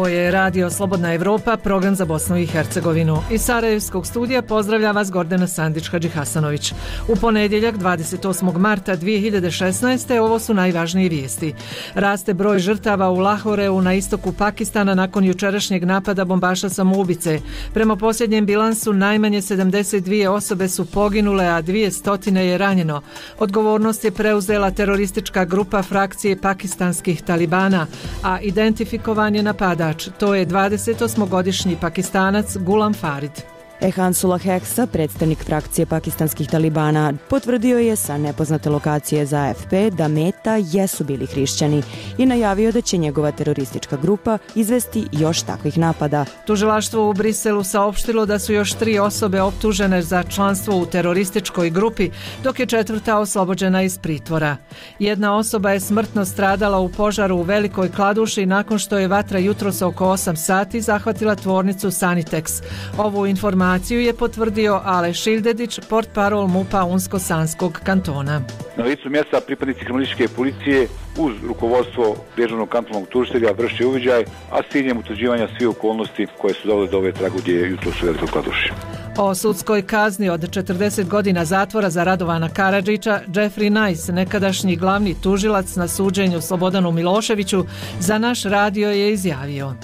Ovo je Radio Slobodna Evropa, program za Bosnu i Hercegovinu. Iz Sarajevskog studija pozdravlja vas Gordana Sandić-Hadžihasanović. U ponedjeljak 28. marta 2016. ovo su najvažnije vijesti. Raste broj žrtava u Lahoreu na istoku Pakistana nakon jučerašnjeg napada bombaša samoubice. Prema posljednjem bilansu najmanje 72 osobe su poginule, a 200 je ranjeno. Odgovornost je preuzela teroristička grupa frakcije pakistanskih talibana, a identifikovan je napadač. To je 28-godišnji Pakistanac Gulam Farid. Ehansullah Heksa, predstavnik frakcije pakistanskih talibana, potvrdio je sa nepoznate lokacije za AFP da meta jesu bili hrišćani i najavio da će njegova teroristička grupa izvesti još takvih napada. Tužilaštvo u Briselu saopštilo da su još 3 osobe optužene za članstvo u terorističkoj grupi, dok je 4. oslobođena iz pritvora. Jedna osoba je smrtno stradala u požaru u Velikoj Kladuši nakon što je vatra jutros oko 8 sati zahvatila tvornicu Sanitex. Ovu informaciju je potvrdio Ale Šildedić, portparol MUP-a Unsko-Sanskog kantona. Na licu mjesta pripadnici kriminalističke policije uz rukovodstvo državnog kantonalnog tužitelja vrše uviđaj, a s ciljem utvrđivanja svih okolnosti koje su dovele do ove tragedije jutros u Velikoj Kladuši. O sudskoj kazni od 40 godina zatvora za Radovana Karadžića, Jeffrey Nice, nekadašnji glavni tužilac na suđenju Slobodanu Miloševiću, za naš radio je izjavio: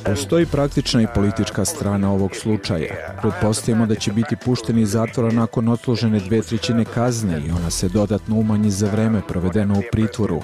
Postoji praktična i politička strana ovog slučaja. Pretpostavljamo da će biti pušteni iz zatvora nakon odslužene 2/3 kazne i ona se dodatno umanji za vreme provedeno u pritvoru.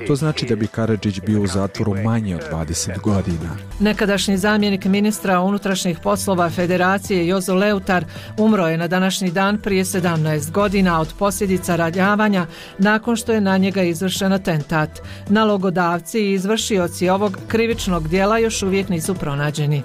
To znači da bi Karadžić bio u zatvoru manje od 20 godina. Nekadašnji zamjenik ministra unutrašnjih poslova Federacije Jozo Leutar umro je na današnji dan prije 17 godina od posljedica ranjavanja nakon što je na njega izvršen atentat. Nalogodavci i izvršioci ovog krivičnog djela još uvijek nisu pronađeni.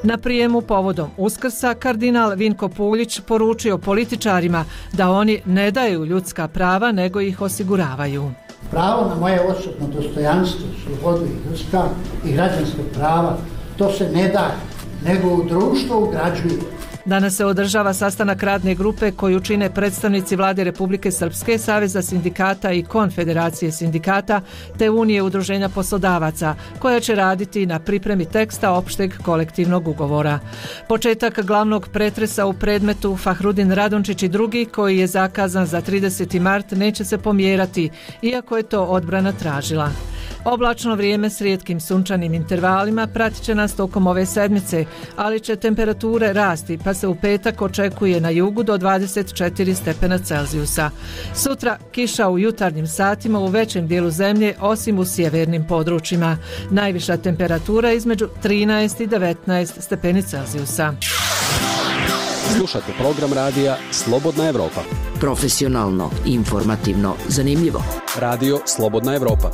Na prijemu povodom Uskrsa kardinal Vinko Puljić poručio političarima da oni ne daju ljudska prava nego ih osiguravaju. Pravo na moje osobno dostojanstvo, slobodu i ljudska i građanska prava, to se ne daje, nego u društvo ugrađuje. Danas se održava sastanak radne grupe koju čine predstavnici Vlade Republike Srpske, Saveza sindikata i Konfederacije sindikata te Unije udruženja poslodavaca, koja će raditi na pripremi teksta opšteg kolektivnog ugovora. Početak glavnog pretresa u predmetu Fahrudin Radončić i drugi, koji je zakazan za 30. mart, neće se pomjerati, iako je to odbrana tražila. Oblačno vrijeme s rijetkim sunčanim intervalima pratit će nas tokom ove sedmice, ali će temperature rasti, pa se u petak očekuje na jugu do 24 stepena Celzijusa. Sutra kiša u jutarnjim satima u većem dijelu zemlje, osim u sjevernim područjima. Najviša temperatura između 13 i 19 stepeni Celzijusa. Slušate program radija Slobodna Evropa. Profesionalno, informativno, zanimljivo. Radio Slobodna Evropa.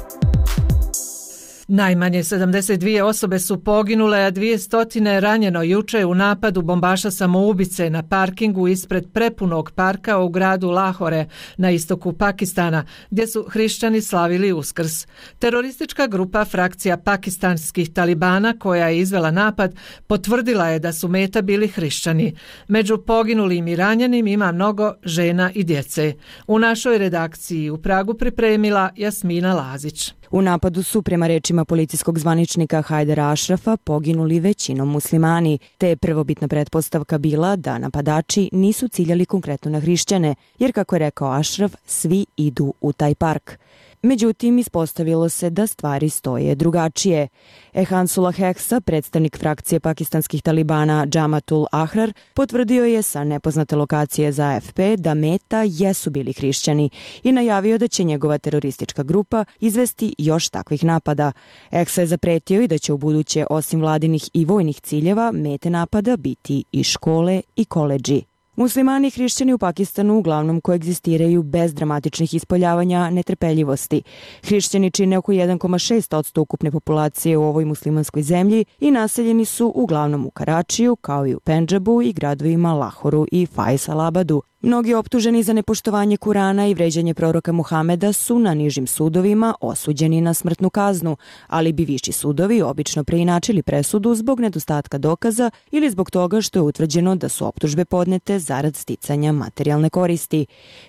Najmanje 72 osobe su poginule, a 200 ranjeno juče u napadu bombaša samoubice na parkingu ispred prepunog parka u gradu Lahore na istoku Pakistana, gdje su hrišćani slavili Uskrs. Teroristička grupa frakcija pakistanskih talibana koja je izvela napad potvrdila je da su meta bili hrišćani. Među poginulim i ranjenim ima mnogo žena i djece. U našoj redakciji u Pragu pripremila Jasmina Lazić. U napadu su, prema rečima policijskog zvaničnika Hajdara Ašrafa, poginuli većinom muslimani, te je prvobitna pretpostavka bila da napadači nisu ciljali konkretno na hrišćane, jer, kako je rekao Ašraf, svi idu u taj park. Međutim, ispostavilo se da stvari stoje drugačije. Ehansullah Heksa, predstavnik frakcije pakistanskih talibana Džamatul Ahrar, potvrdio je sa nepoznate lokacije za AFP da meta jesu bili hrišćani i najavio da će njegova teroristička grupa izvesti još takvih napada. Heksa je zapretio i da će u buduće, osim vladinih i vojnih ciljeva, mete napada biti i škole i koledži. Muslimani i hrišćani u Pakistanu uglavnom koegzistiraju bez dramatičnih ispoljavanja netrpeljivosti. Hrišćani čine oko 1,6% ukupne populacije u ovoj muslimanskoj zemlji i naseljeni su uglavnom u Karačiju, kao i u Pendžabu i gradovima Lahoru i Faisalabadu. Mnogi optuženi za nepoštovanje Kurana i vređanje proroka Muhameda su na nižim sudovima osuđeni na smrtnu kaznu, ali bi viši sudovi obično preinačili presudu zbog nedostatka dokaza ili zbog toga što je utvrđeno da su optužbe podnete zarad sticanja materijalne koristi.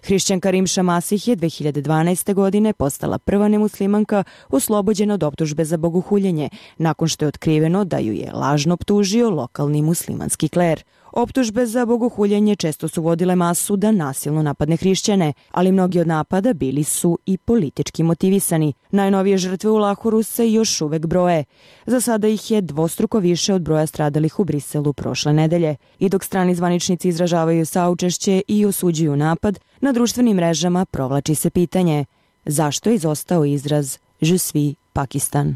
Hrišćanka Rimša Masih je 2012. godine postala prva nemuslimanka oslobođena od optužbe za bogohuljenje, nakon što je otkriveno da ju je lažno optužio lokalni muslimanski kler. Optužbe za bogohuljenje često su vodile masu da nasilno napadne hrišćane, ali mnogi od napada bili su i politički motivisani. Najnovije žrtve u Lahuru se još uvek broje. Za sada ih je dvostruko više od broja stradalih u Briselu prošle nedelje. I dok strani zvaničnici izražavaju saučešće i osuđuju napad, na društvenim mrežama provlači se pitanje: zašto je izostao izraz Je suis Pakistan?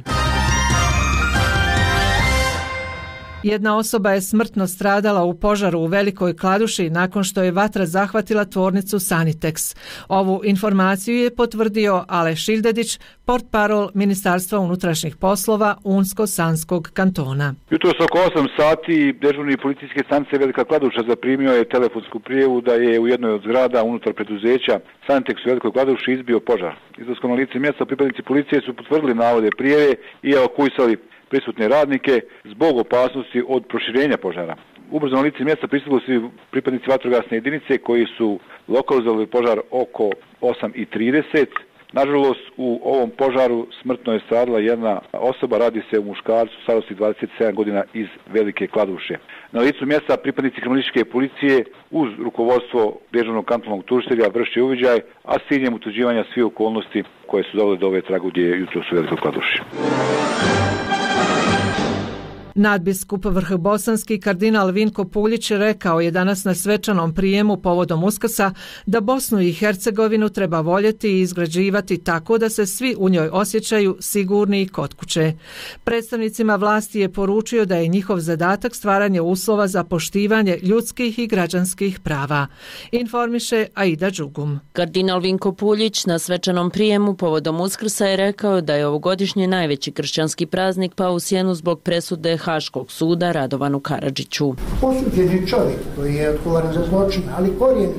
Jedna osoba je smrtno stradala u požaru u Velikoj Kladuši nakon što je vatra zahvatila tvornicu Sanitex. Ovu informaciju je potvrdio Ale Šildedić, portparol Ministarstva unutrašnjih poslova Unsko-Sanskog kantona. Jutros oko 8 sati dežurni policijske stanice Velika Kladuša zaprimio je telefonsku prijavu da je u jednoj od zgrada unutar preduzeća Sanitex u Velikoj Kladuši izbio požar. Izlaskom na lice mjesta pripadnici policije su potvrdili navode prijave i evakuisali prisutne radnike zbog opasnosti od proširenja požara. Ubrzo na lice mjesta pristigli su pripadnici vatrogasne jedinice koji su lokalizovali požar oko 8:30. Nažalost, u ovom požaru smrtno je stradala jedna osoba, radi se o muškarcu starosti 27 godina iz Velike Kladuše. Na licu mjesta pripadnici kriminalističke policije uz rukovodstvo dežurnog kantonalnog tužitelja vrše uviđaj, a s ciljem utvrđivanja svih okolnosti koje su dovele do ove tragedije jutros u Velikoj Kladuši. Nadbiskup vrhbosanski kardinal Vinko Puljić rekao je danas na svečanom prijemu povodom Uskrsa da Bosnu i Hercegovinu treba voljeti i izgrađivati tako da se svi u njoj osjećaju sigurni i kod kuće. Predstavnicima vlasti je poručio da je njihov zadatak stvaranje uslova za poštivanje ljudskih i građanskih prava. Informiše Aida Đugum. Kardinal Vinko Puljić na svečanom prijemu povodom Uskrsa je rekao da je ovogodišnji najveći kršćanski praznik pao u sjenu zbog presude Haškog suda Radovanu Karadžiću. Osuđeni čovjek koji je odgovoran za zločine, ali korijeni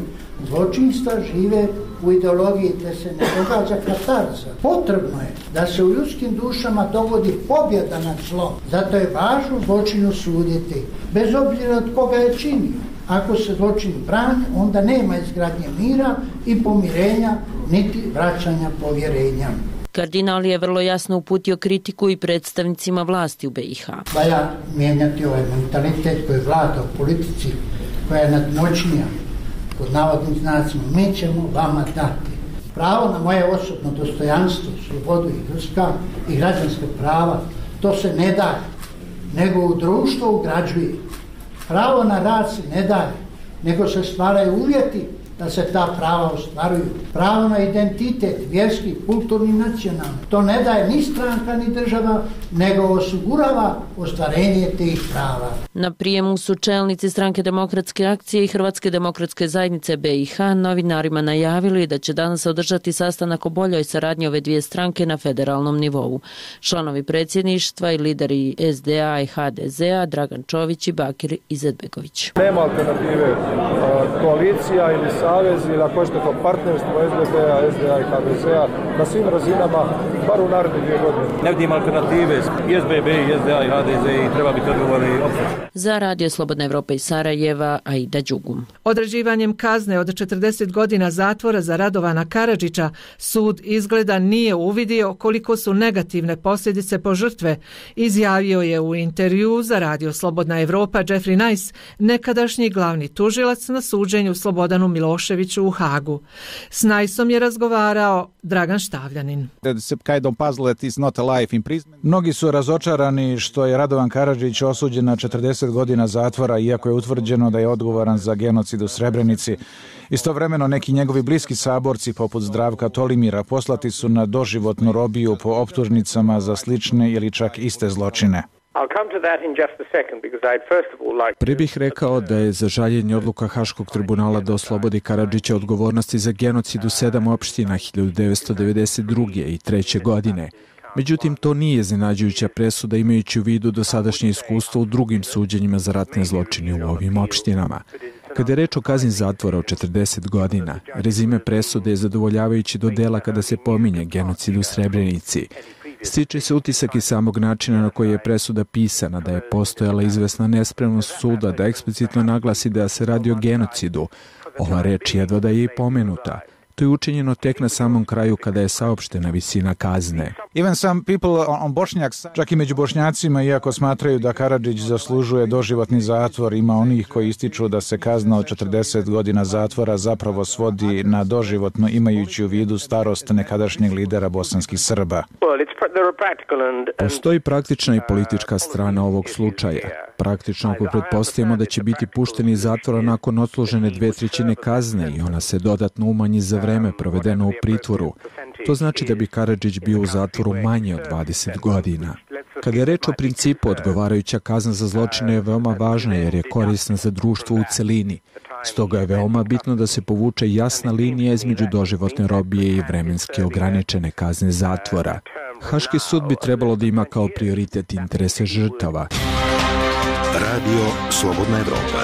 zločinstva žive u ideologiji te se ne događa katarza. Potrebno je da se u ljudskim dušama dogodi pobjeda nad zlom. Zato je važno zločinu suditi, bez obzira od koga je činio. Ako se zločin brani, onda nema izgradnje mira i pomirenja, niti vraćanja povjerenja. Kardinal je vrlo jasno uputio kritiku i predstavnicima vlasti u BiH. Valja mijenjati ovaj mentalitet koji vlada u politici, koja je nadmoćnija, pod navodnim znacima. Mi ćemo vama dati pravo na moje osobno dostojanstvo, slobodu i ljudska i građanska prava. To se ne daje, nego u društvo ugrađuje. Pravo na rad se ne daje, nego se stvaraju uvjeti da se ta prava ostvaruju. Pravo na identitet, vjerski, kulturni, nacionalni. To ne daje ni stranka ni država, nego osigurava ostvarenje tih prava. Na prijemu su čelnici Stranke demokratske akcije i Hrvatske demokratske zajednice BiH novinarima najavili da će danas održati sastanak o boljoj saradnji ove dvije stranke na federalnom nivou. Članovi predsjedništva i lideri SDA i HDZ-a Dragan Čović i Bakir Izetbegović. Nema alternative, koalicija ili savez ili ako hoćete to partnerstvo SDP-a, SDA i HDZ-a na svim razinama, bar u naredne 2 godine. Ne vidim alternative, i SBB, i SDA i HDZ i treba biti odgovorni opet. Za Radio Slobodna Evropa iz Sarajeva, Aida Đugum. Određivanjem kazne od 40 godina zatvora za Radovana Karadžića, sud izgleda nije uvidio koliko su negativne posljedice po žrtve, izjavio je u intervjuu za Radio Slobodna Evropa Jeffrey Nice, nekadašnji glavni tužilac na suđenju Slobodanu Miloševiću u Hagu. S Niceom je razgovarao Dragan Štavljanin. Mnogi su razočarani što je Radovan Karadžić osuđen na 40 godina zatvora, iako je utvrđeno da je odgovoran za genocid u Srebrenici. Istovremeno neki njegovi bliski saborci, poput Zdravka Tolimira, poslati su na doživotnu robiju po optužnicama za slične ili čak iste zločine. Prije bih rekao da je za žaljenje odluka Haškog tribunala da oslobodi Karadžića odgovornosti za genocid u 7 opština 1992. i 3. godine. Međutim, to nije iznenađujuća presuda imajući u vidu dosadašnje iskustvo u drugim suđenjima za ratne zločine u ovim opštinama. Kada je reč o kazni zatvora od 40 godina, rezime presude je zadovoljavajući do dela kada se pominje genocid u Srebrenici. Stiče se utisak iz samog načina na koji je presuda pisana, da je postojala izvesna nespremnost suda da eksplicitno naglasi da se radi o genocidu. Ova reč jedva da je i pomenuta. To je učinjeno tek na samom kraju kada je saopštena visina kazne. Even some people on Bošnjaks, čak i među Bošnjacima, iako smatraju da Karadžić zaslužuje doživotni zatvor, ima onih koji ističu da se kazna od 40 godina zatvora zapravo svodi na doživotno, imajući u vidu starost nekadašnjeg lidera bosanskih Srba. Postoji praktična i politička strana ovog slučaja. Praktično ako pretpostavimo da će biti pušteni iz zatvora nakon odslužene 2/3 kazne i ona se dodatno umanji za vreme provedeno u pritvoru, to znači da bi Karadžić bio u zatvoru manje od 20 godina. Kada je reč o principu, odgovarajuća kazna za zločine je veoma važna jer je korisna za društvo u celini. Stoga je veoma bitno da se povuče jasna linija između doživotne robije i vremenski ograničene kazne zatvora. Haški sud bi trebalo da ima kao prioritet interese žrtava. Radio Slobodna Evropa.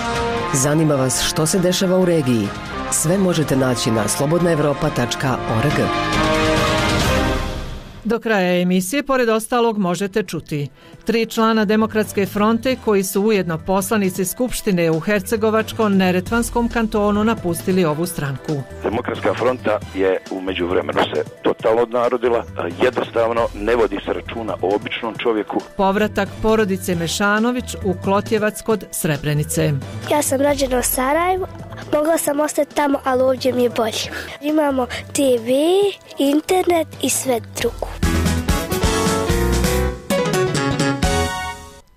Zanima vas što se dešava u regiji? Sve možete naći na slobodnaevropa.org. Do kraja emisije, pored ostalog, možete čuti 3 člana Demokratske fronte koji su ujedno poslanici Skupštine u Hercegovačko-Neretvanskom kantonu napustili ovu stranku. Demokratska fronta je u međuvremenu se totalno odnarodila, jednostavno ne vodi se računa o običnom čovjeku. Povratak porodice Mešanović u Klotjevac kod Srebrenice. Ja sam rođena u Sarajevu, mogla sam ostati tamo, ali ovdje mi je bolje. Imamo TV, internet i sve drugo.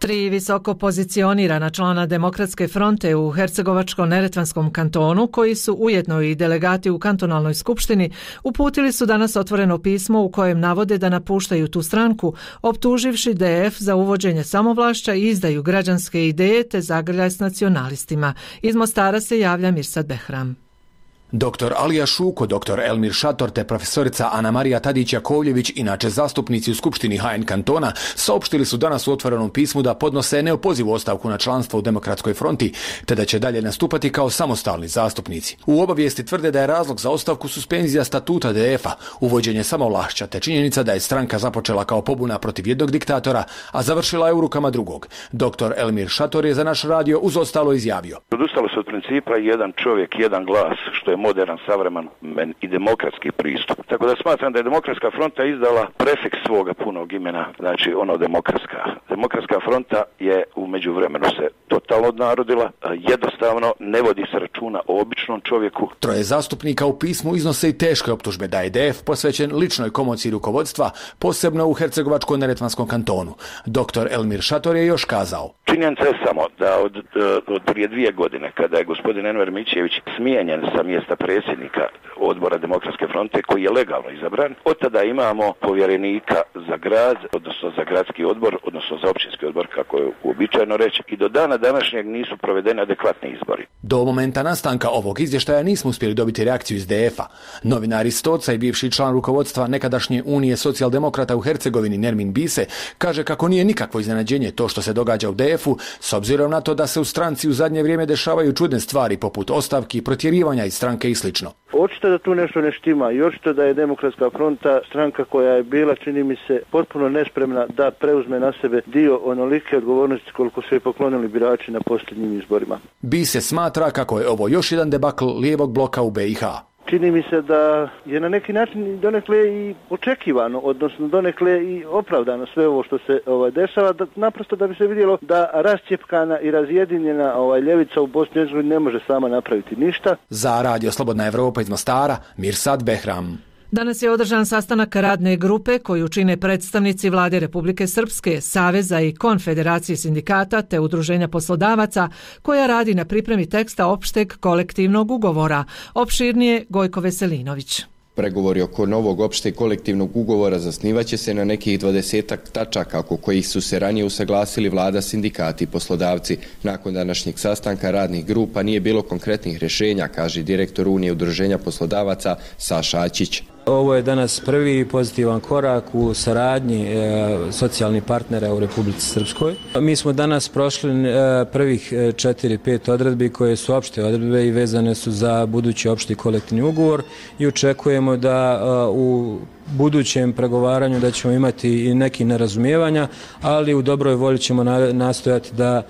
3 visoko pozicionirana člana Demokratske fronte u Hercegovačko-Neretvanskom kantonu, koji su ujedno i delegati u kantonalnoj skupštini, uputili su danas otvoreno pismo u kojem navode da napuštaju tu stranku, optuživši DF za uvođenje samovlašća i izdaju građanske ideje te zagrljaj s nacionalistima. Iz Mostara se javlja Mirsad Behram. Dr. Alija Šuko, dr. Elmir Šator te profesorica Ana Marija Tadić-Jakovljević, inače zastupnici u Skupštini HN kantona, saopštili su danas u otvorenom pismu da podnose neopozivu ostavku na članstvo u Demokratskoj fronti, te da će dalje nastupati kao samostalni zastupnici. U obavijesti tvrde da je razlog za ostavku suspenzija statuta DF-a, uvođenje samovlašća, te činjenica da je stranka započela kao pobuna protiv jednog diktatora, a završila je u rukama drugog. Dr. Elmir Šator je za naš radio uz ostalo izjavio. Odustalo se od principa jedan čovjek, jedan glas, što je modern, savreman i demokratski pristup. Tako da smatram da je Demokratska fronta izdala prefiks svoga punog imena, znači ono demokratska. Demokratska fronta je u međuvremenu se totalno odnarodila, jednostavno ne vodi se računa o običnom čovjeku. 3 zastupnika u pismu iznose i teške optužbe da je DF posvećen ličnoj komociji rukovodstva, posebno u Hercegovačko-Neretvanskom kantonu. Dr. Elmir Šator je još kazao. Činjenica je samo da od prije 2 godine, kada je gospodin Enver Mićević smijenjen sa mjesta predsjednika odbora Demokratske fronte, koji je legalno izabran, od tada imamo povjerenika za grad, odnosno za gradski odbor, odnosno za općinski odbor, kako je uobičajeno reći, i do dana današnjeg nisu provedeni adekvatni izbori. Do momenta nastanka ovog izvještaja nismo uspjeli dobiti reakciju iz DF-a. Novinar iz Stoca i bivši član rukovodstva nekadašnje Unije socijaldemokrata u Hercegovini Nermin Bise kaže kako nije nikakvo iznenađenje to što se događa u DF-u, s obzirom na to da se u stranci u zadnje vrijeme dešavaju čudne stvari poput ostavki, protjerivanja iz stranke i slično. Očito da tu nešto ne štima i očito da je Demokratska fronta stranka koja je bila, čini mi se, potpuno nespremna da preuzme na sebe dio onolike odgovornosti koliko su je poklonili birači na posljednjim izborima. Bise smatra kako je ovo još jedan debakl lijevog bloka u BiH. Čini mi se da je na neki način donekle i očekivano, odnosno donekle i opravdano sve ovo što se dešava, naprosto da bi se vidjelo da rascijepkana i razjedinjena ljevica u Bosni i Hercegovini ne može sama napraviti ništa. Za Radio Slobodna Evropa iz Mostara, Mirsad Behram. Danas je održan sastanak radne grupe koju čine predstavnici Vlade Republike Srpske, Saveza i Konfederacije sindikata te Udruženja poslodavaca, koja radi na pripremi teksta opšteg kolektivnog ugovora. Opširnije Gojko Veselinović. Pregovori oko novog opšteg kolektivnog ugovora zasnivaće se na nekih 20 tačaka oko kojih su se ranije usaglasili vlada, sindikati i poslodavci. Nakon današnjeg sastanka radnih grupa nije bilo konkretnih rješenja, kaže direktor Unije Udruženja poslodavaca Saša Ačić. Ovo je danas prvi pozitivan korak u saradnji socijalnih partnera u Republici Srpskoj. Mi smo danas prošli prvih 4-5 odredbi koje su opšte odredbe i vezane su za budući opšti kolektivni ugovor i očekujemo da u budućem pregovaranju da ćemo imati i neki nerazumijevanja, ali u dobroj volji ćemo nastojati da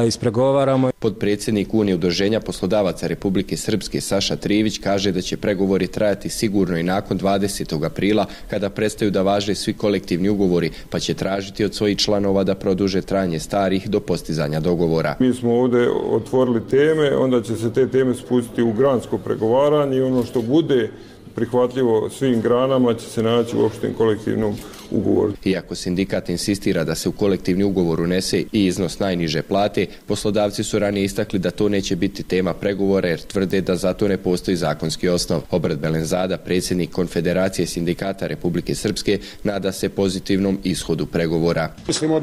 ispregovaramo. Podpredsjednik Unije udruženja poslodavaca Republike Srpske Saša Trivić kaže da će pregovori trajati sigurno i nakon 20. aprila kada prestaju da važe svi kolektivni ugovori, pa će tražiti od svojih članova da produže trajanje starih do postizanja dogovora. Mi smo ovdje otvorili teme, onda će se te teme spustiti u gransko pregovaranje i ono što bude prihvatljivo svim granama će se naći u opštem kolektivnom ugovoru. Iako sindikat insistira da se u kolektivni ugovor unese i iznos najniže plate, poslodavci su ranije istakli da to neće biti tema pregovora jer tvrde da za to ne postoji zakonski osnov. Obrat Belenzada, predsjednik Konfederacije sindikata Republike Srpske, nada se pozitivnom ishodu pregovora. Mislimo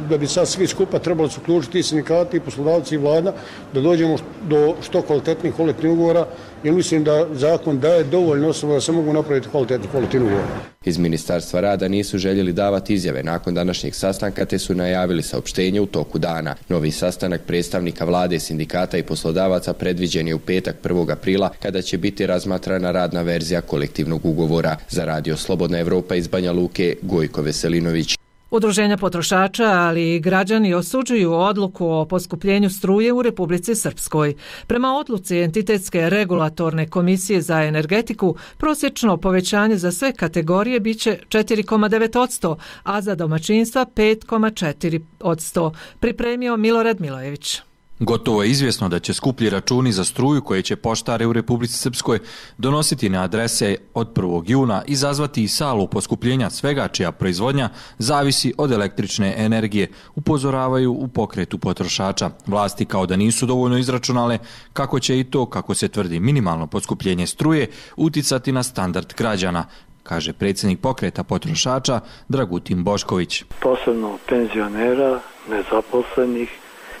da bi sad svi skupa trebali se uključiti i sindikati, i poslodavci i vlada, da dođemo do što kvalitetnih kolektivnih ugovora, jer mislim da zakon daje dovoljno osnova da se mogu napraviti kvalitetni kolektivni ugovor. Iz Ministarstva rada nisu željeli davati izjave nakon današnjeg sastanka te su najavili saopštenje u toku dana. Novi sastanak predstavnika vlade, sindikata i poslodavaca predviđen je u petak 1. aprila kada će biti razmatrana radna verzija kolektivnog ugovora. Za Radio Slobodna Evropa iz Banja Luke, Gojko Veselinović. Udruženja potrošača, ali i građani osuđuju odluku o poskupljenju struje u Republici Srpskoj. Prema odluci Entitetske regulatorne komisije za energetiku, prosječno povećanje za sve kategorije biće 4,9%, a za domaćinstva 5,4%, pripremio Milorad Milojević. Gotovo je izvjesno da će skuplji računi za struju koje će poštare u Republici Srpskoj donositi na adrese od 1. juna izazvati i salu poskupljenja svega čija proizvodnja zavisi od električne energije, upozoravaju u pokretu potrošača. Vlasti kao da nisu dovoljno izračunale kako će i to, kako se tvrdi, minimalno poskupljenje struje uticati na standard građana, kaže predsjednik pokreta potrošača Dragutin Bošković. Posebno penzionera, nezaposlenih,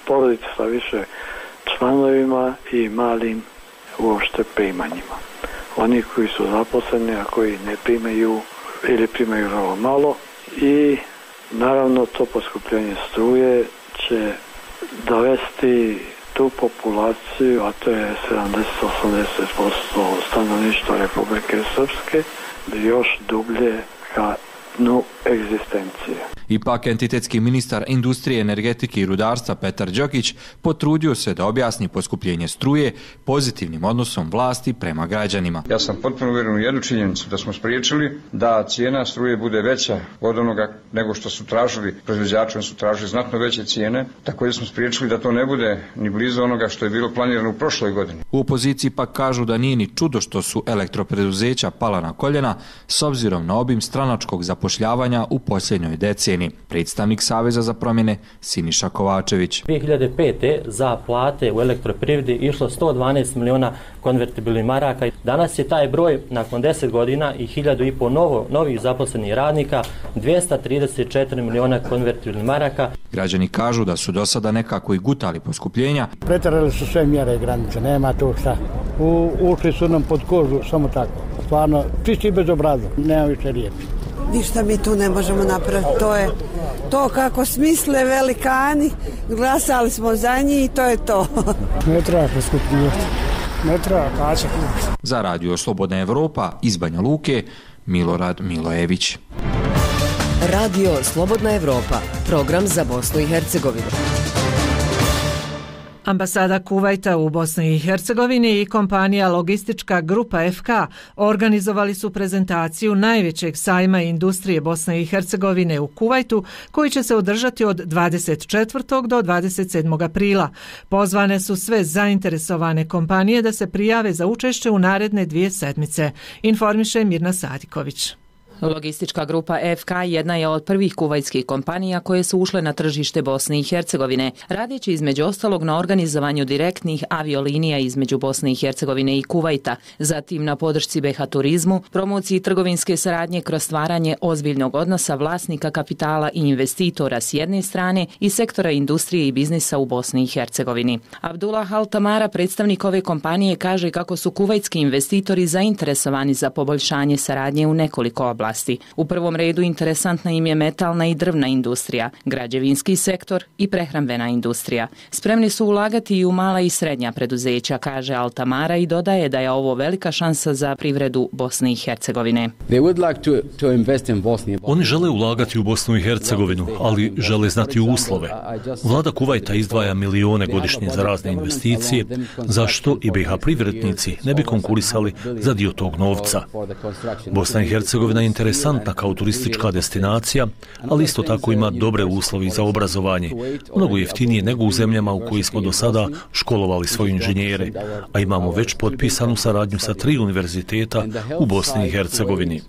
porodica sa više članovima i malim uopšte primanjima. Oni koji su zaposleni, a koji ne primaju ili primaju vrlo malo, i naravno to poskupljenje struje će dovesti tu populaciju, a to je 70-80% stanovništva Republike Srpske, još dublje ka dnu egzistencije. Ipak entitetski ministar industrije, energetike i rudarstva Petar Đokić potrudio se da objasni poskupljenje struje pozitivnim odnosom vlasti prema građanima. Ja sam potpuno uvjeren u jednu činjenicu, da smo spriječili da cijena struje bude veća od onoga nego što su tražili proizvođači, oni su tražili znatno veće cijene, također smo spriječili da to ne bude ni blizu onoga što je bilo planirano u prošloj godini. U opoziciji pak kažu da nije ni čudo što su elektropreduzeća pala na koljena s obzirom na obim stranačkog zapošljavanja u posljednjoj deceniji. Predstavnik Saveza za promjene Siniša Kovačević. 2005. za plate u elektroprivredi išlo 112 miliona konvertibilnih maraka. Danas je taj broj nakon 10 godina i 1.500 novih zaposlenih radnika 234 miliona konvertibilnih maraka. Građani kažu da su do sada nekako i gutali poskupljenja. Preterali su sve mjere i granice, nema to šta. Ušli su nam pod kožu, samo tako. Stvarno, čisti bez obraza, nema više riječi. Ništa mi tu ne možemo napraviti, to je to kako smisle velikani, glasali smo za njih i to je to. Ne treba poskupljivati, ne treba kačati. Za Radio Slobodna Evropa iz Banja Luke, Milorad Milojević. Radio Slobodna Evropa, program za Bosnu i Hercegovinu. Ambasada Kuvajta u Bosni i Hercegovini i kompanija Logistička grupa FK organizovali su prezentaciju najvećeg sajma industrije Bosne i Hercegovine u Kuvajtu, koji će se održati od 24. do 27. aprila. Pozvane su sve zainteresovane kompanije da se prijave za učešće u naredne 2 sedmice, informiše Mirna Sadiković. Logistička grupa FK jedna je od prvih kuvajtskih kompanija koje su ušle na tržište Bosne i Hercegovine, radeći između ostalog na organizovanju direktnih aviolinija između Bosne i Hercegovine i Kuvajta, zatim na podršci BiH turizmu, promociji trgovinske saradnje kroz stvaranje ozbiljnog odnosa vlasnika kapitala i investitora s jedne strane i sektora industrije i biznisa u Bosni i Hercegovini. Abdullah Al-Tamara, predstavnik ove kompanije, kaže kako su kuvajtski investitori zainteresovani za poboljšanje saradnje u nekoliko oblasti. U prvom redu interesantna im je metalna i drvna industrija, građevinski sektor i prehrambena industrija. Spremni su ulagati i u mala i srednja preduzeća, kaže Al-Tamara, i dodaje da je ovo velika šansa za privredu Bosne i Hercegovine. Oni žele ulagati u Bosnu i Hercegovinu, ali žele znati uslove. Vlada Kuvajta izdvaja milione godišnje za razne investicije, zašto i BiH privrednici ne bi konkurisali za dio tog novca. Bosna i Hercegovina je interesantna kao turistička destinacija, ali isto tako ima dobre uslovi za obrazovanje, mnogo jeftinije nego u zemljama u koji smo do sada školovali svoje inženjere, a imamo već potpisanu saradnju sa 3 univerziteta u Bosni i Hercegovini.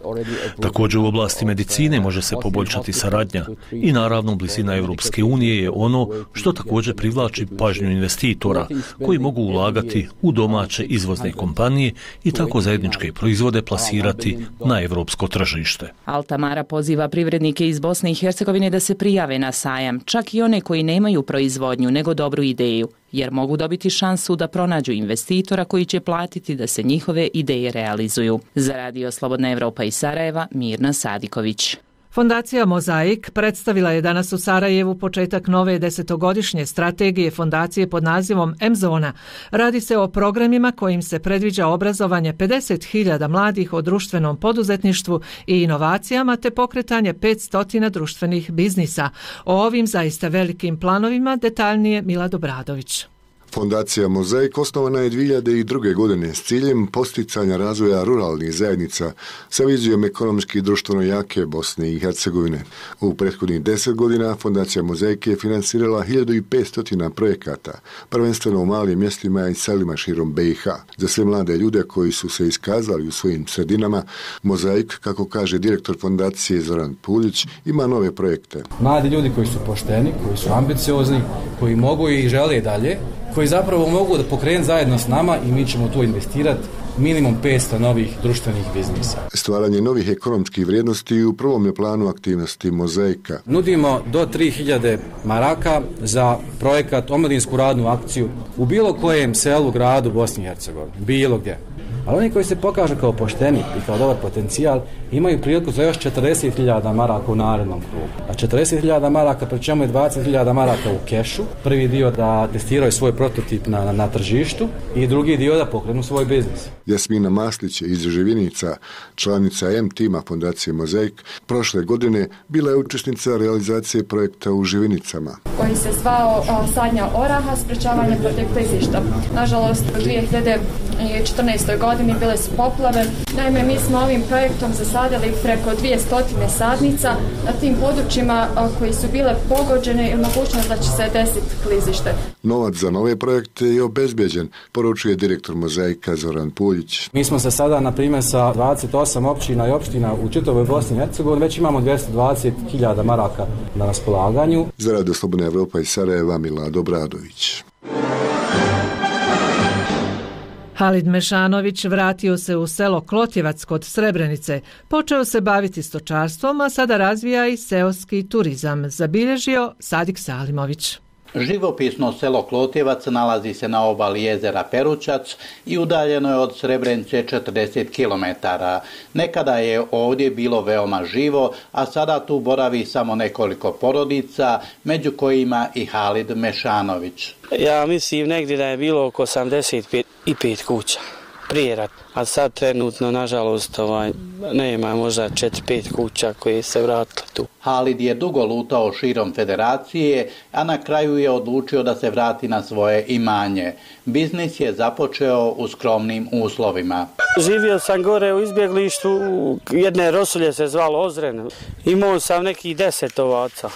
Također u oblasti medicine može se poboljšati saradnja i naravno blizina Europske unije je ono što također privlači pažnju investitora koji mogu ulagati u domaće izvozne kompanije i tako zajedničke proizvode plasirati na evropsko tržište. Al-Tamara poziva privrednike iz Bosne i Hercegovine da se prijave na sajam, čak i one koji nemaju proizvodnju nego dobru ideju, jer mogu dobiti šansu da pronađu investitora koji će platiti da se njihove ideje realizuju. Za Radio Slobodna Evropa iz Sarajeva, Mirna Sadiković. Fondacija Mozaik predstavila je danas u Sarajevu početak nove 10-godišnje strategije fondacije pod nazivom M-Zona. Radi se o programima kojim se predviđa obrazovanje 50.000 mladih o društvenom poduzetništvu i inovacijama te pokretanje 500 društvenih biznisa. O ovim zaista velikim planovima detaljnije Milad Obradović. Fondacija Mozaik osnovana je 2002. godine s ciljem posticanja razvoja ruralnih zajednica sa vizijom ekonomski i društveno jake Bosne i Hercegovine. U prethodnih 10 godina Fondacija Mozaik je finansirala 1500 projekata, prvenstveno u malim mjestima i selima širom BiH. Za sve mlade ljude koji su se iskazali u svojim sredinama, Mozaik, kako kaže direktor fondacije Zoran Puljić, ima nove projekte. Mladi ljudi koji su pošteni, koji su ambiciozni, koji mogu i žele dalje, koji zapravo mogu da pokrenu zajedno s nama i mi ćemo tu investirati minimum 500 novih društvenih biznisa. Stvaranje novih ekonomskih vrijednosti u prvom je planu aktivnosti Mozaika. Nudimo do 3000 maraka za projekat omladinsku radnu akciju u bilo kojem selu, gradu Bosni i Hercegovini, bilo gdje. Ali oni koji se pokažu kao pošteni i kao dobar potencijal imaju priliku za još 40.000 maraka u narednom krugu. A 40.000 maraka, pri čemu je 20.000 maraka u kešu. Prvi dio da testiraju svoj prototip na tržištu i drugi dio da pokrenu svoj biznis. Jasmina Maslić iz Živinica, članica M-tima Fondacije Mozaik, prošle godine bila je učesnica realizacije projekta u Živinicama. Koji se zvao sadnja oraha, sprečavanje protiv klizišta. Nažalost, u 2014. godini bile su poplave. Naime, mi smo ovim projektom zasadili preko 200 sadnica na tim područjima koji su bile pogođene i mogućnost da će se desiti klizište. Novac za nove projekte je obezbeđen, poručuje direktor Mozaika Zoran Puljić. Mi smo se sada, na primjer, sa 28 općina i opština u čitavoj Bosni i Hercegovini, već imamo 220.000 maraka na raspolaganju. Za Radio Slobodna Evropa iz Sarajeva, Milad Obradović. Halid Mešanović vratio se u selo Klotjevac kod Srebrenice. Počeo se baviti stočarstvom, a sada razvija i seoski turizam, zabilježio Sadik Salimović. Živopisno selo Klotjevac nalazi se na obali jezera Perućac i udaljeno je od Srebrenice 40 km. Nekada je ovdje bilo veoma živo, a sada tu boravi samo nekoliko porodica, među kojima i Halid Mešanović. Ja mislim negdje da je bilo oko 85 kuća prije rata, a sad trenutno, nažalost, nema možda 4-5 kuća koje se vratile tu. Halid je dugo lutao širom federacije, a na kraju je odlučio da se vrati na svoje imanje. Biznis je započeo u skromnim uslovima. Živio sam gore u izbjeglištu, jedne rosulje se zvalo Ozren. Imao sam nekih 10 ovaca.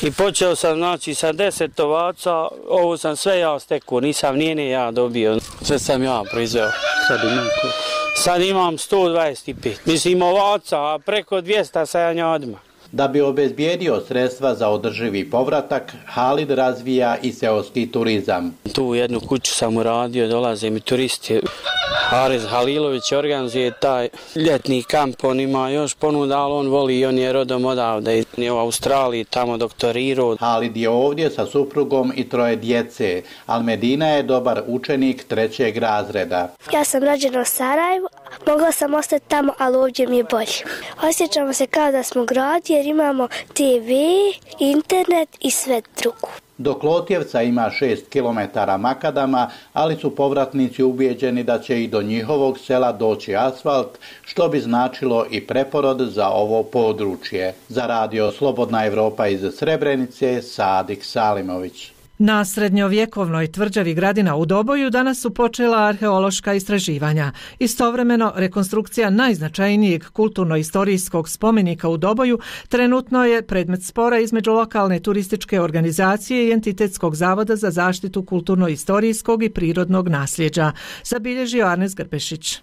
I počeo sam, sa 10 ovaca, ovo sam sve ja stekao, nisam nijene ja dobio. Sve sam ja proizveo. sad imam 125. Mislim ovaca, a preko 200 sa janjadima. Da bi obezbijedio sredstva za održivi povratak, Halid razvija i seoski turizam. Tu jednu kuću sam uradio, dolaze mi turisti. Haris Halilović organizuje taj ljetni kamp, on ima još ponuda, ali on voli i on je rodom odavde. Je u Australiji tamo doktorirao. Halid je ovdje sa suprugom i 3 djece, ali Medina je dobar učenik 3. razreda. Ja sam rođena u Sarajevu, mogla sam ostati tamo, ali ovdje mi je bolje. Osjećamo se kao da smo grad jer imamo TV, internet i sve drugo. Do Klotjevca ima 6 km makadama, ali su povratnici ubijeđeni da će i do njihovog sela doći asfalt, što bi značilo i preporod za ovo područje. Za radio Slobodna Evropa iz Srebrenice, Sadik Salimović. Na srednjovjekovnoj tvrđavi Gradina u Doboju danas su počela arheološka istraživanja. Istovremeno, rekonstrukcija najznačajnijeg kulturno-istorijskog spomenika u Doboju trenutno je predmet spora između lokalne turističke organizacije i Entitetskog zavoda za zaštitu kulturno-istorijskog i prirodnog nasljeđa, zabilježio Arnes Grbešić.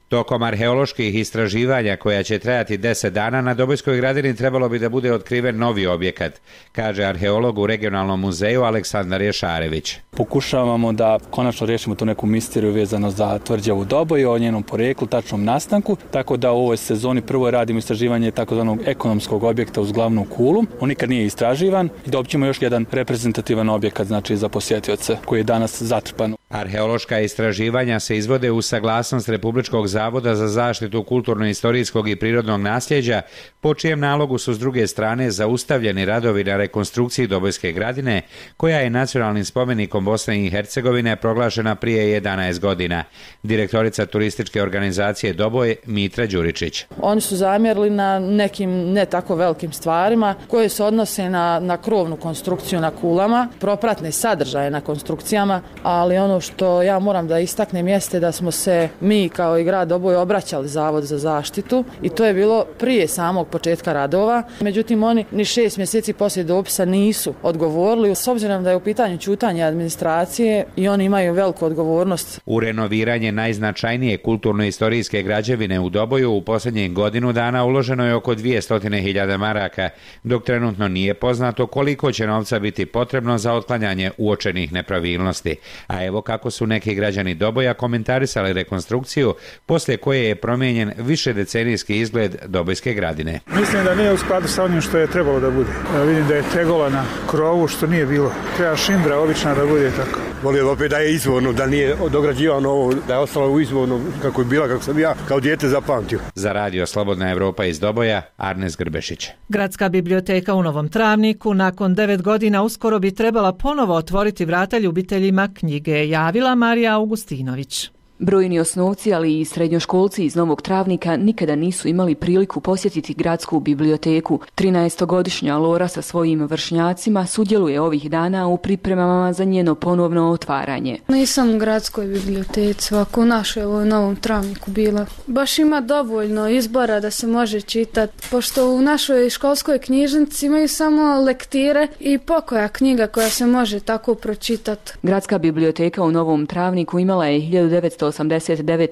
Tokom arheoloških istraživanja koja će trajati 10 dana na Dobojskoj Gradini trebalo bi da bude otkriven novi objekat, kaže arheolog u regionalnom muzeju Aleksandar Ješarević. Pokušavamo da konačno riješimo tu neku misteriju vezano za tvrđavu Doboju, o njenom poreklu, tačnom nastanku, tako da u ovoj sezoni prvo radimo istraživanje takozvanog ekonomskog objekta uz glavnu kulu. On nikad nije istraživan i dobit ćemo još jedan reprezentativan objekat, znači za posjetioce, koji je danas zatrpan. Arheološka istraživanja se izvode u saglasnost Republičkog zavoda za zaštitu kulturno-istorijskog i prirodnog nasljeđa, po čijem nalogu su s druge strane zaustavljeni radovi na rekonstrukciji Dobojske Gradine, koja je nacionalnim spomenikom Bosne i Hercegovine proglašena prije 11 godina. Direktorica turističke organizacije Doboj, Mitra Đuričić. Oni su zamjerili na nekim ne tako velikim stvarima koje se odnose na krovnu konstrukciju na kulama, propratne sadržaje na konstrukcijama, ali ono što ja moram da istaknem jeste da smo se mi kao i grad Doboj obraćali Zavod za zaštitu i to je bilo prije samog početka radova. Međutim, oni ni 6 mjeseci poslije dopisa nisu odgovorili, s obzirom da je u pitanju ćutanje administracije i oni imaju veliku odgovornost. U renoviranje najznačajnije kulturno-istorijske građevine u Doboju u posljednjih godinu dana uloženo je oko 200.000 maraka, dok trenutno nije poznato koliko će novca biti potrebno za otklanjanje uočenih nepravilnosti. A evo kako su neki građani Doboja komentarisali rekonstrukciju, poslije koje je promijenjen višedecenijski izgled Dobojske Gradine. Mislim da nije u skladu sa onim što je trebalo da bude. Vidim da je tegola na krovu, što nije bilo. Treba šimbra obična da bude tako. Volio opet da je izvorno, da nije dograđivano ovo, da je ostalo u izvorno kako je bila, kako sam ja kao dijete zapamtio. Za radio Slobodna Evropa iz Doboja, Arnes Grbešić. Gradska biblioteka u Novom Travniku nakon 9 godina uskoro bi trebala ponovo otvoriti vrata ljubiteljima knjige, javila Marija Augustinović. Brojni osnovci, ali i srednjoškolci iz Novog Travnika nikada nisu imali priliku posjetiti gradsku biblioteku. 13-godišnja Lora sa svojim vršnjacima sudjeluje ovih dana u pripremama za njeno ponovno otvaranje. Nisam u gradskoj biblioteci, ovako u našoj u Novom Travniku bila. Baš ima dovoljno izbora da se može čitati, pošto u našoj školskoj knjižnici imaju samo lektire i pokoja knjiga koja se može tako pročitati. Gradska biblioteka u Novom Travniku imala je 1989.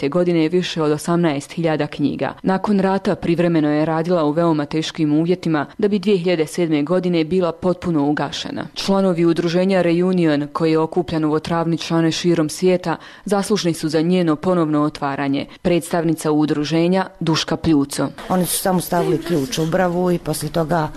godine više od 18.000 knjiga. Nakon rata privremeno je radila u veoma teškim uvjetima da bi 2007. godine bila potpuno ugašena. Članovi udruženja Reunion, koji je okupljan Novotravničane širom svijeta, zaslužni su za njeno ponovno otvaranje. Predstavnica udruženja Duška Pljuco. Oni su samo stavili ključ u bravu i poslije toga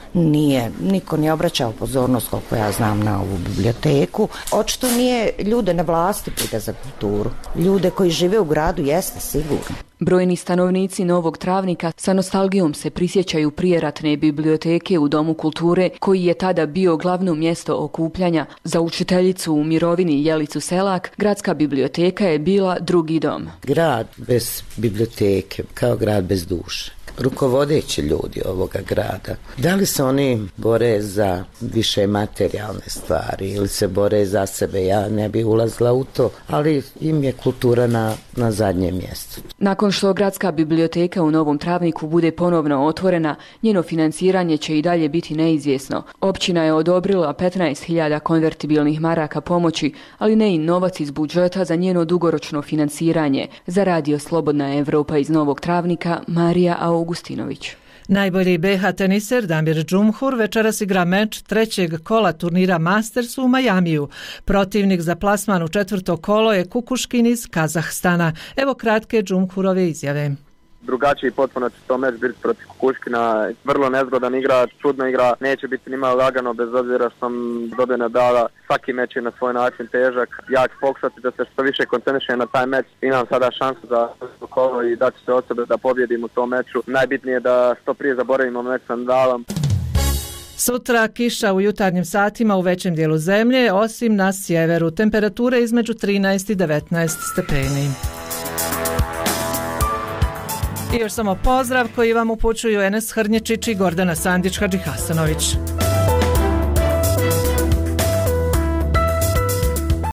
niko nije obraćao pozornost, koliko ja znam, na ovu biblioteku. Očito nije ljude na vlasti briga za kulturu. Ljude koji žive u gradu jeste sigurno. Brojni stanovnici Novog Travnika sa nostalgijom se prisjećaju prijeratne biblioteke u Domu kulture, koji je tada bio glavno mjesto okupljanja. Za učiteljicu u mirovini Jelicu Selak, gradska biblioteka je bila drugi dom. Grad bez biblioteke, kao grad bez duše. rukovodeći ljudi ovoga grada. Da li se oni bore za više materijalne stvari ili se bore za sebe, ja ne bi ulazila u to, ali im je kultura na zadnjem mjestu. Nakon što gradska biblioteka u Novom Travniku bude ponovno otvorena, njeno financiranje će i dalje biti neizvjesno. Općina je odobrila 15.000 konvertibilnih maraka pomoći, ali ne i novac iz budžeta za njeno dugoročno financiranje. Za Radio Slobodna Evropa iz Novog Travnika, Marija Augustinović. Najbolji BH teniser Damir Džumhur večeras igra meč trećeg kola turnira Masters u Majamiju. Protivnik za plasman u četvrto kolo je Kukuškin iz Kazahstana. Evo kratke Džumhurove izjave. Drugačiji potpuno će to meč biti protiv Kukuškina, vrlo nezgodan igra, čudna igra, neće biti nimalo lagano bez obzira što sam dobio medala. Svaki meč je na svoj način težak, ja ću pokušati da se što više koncentrišem na taj meč. Imam sada šansu za kolo i da ću se od sebe da pobjedim u tom meču. Najbitnije je da što prije zaboravimo meč sa Nadalom. Sutra kiša u jutarnjim satima u većem dijelu zemlje, osim na sjeveru. Temperature između 13 i 19 stepeni. I još samo pozdrav koji vam upućuju Enes Hrnječić i Gordana Sandić Hadžihasanović.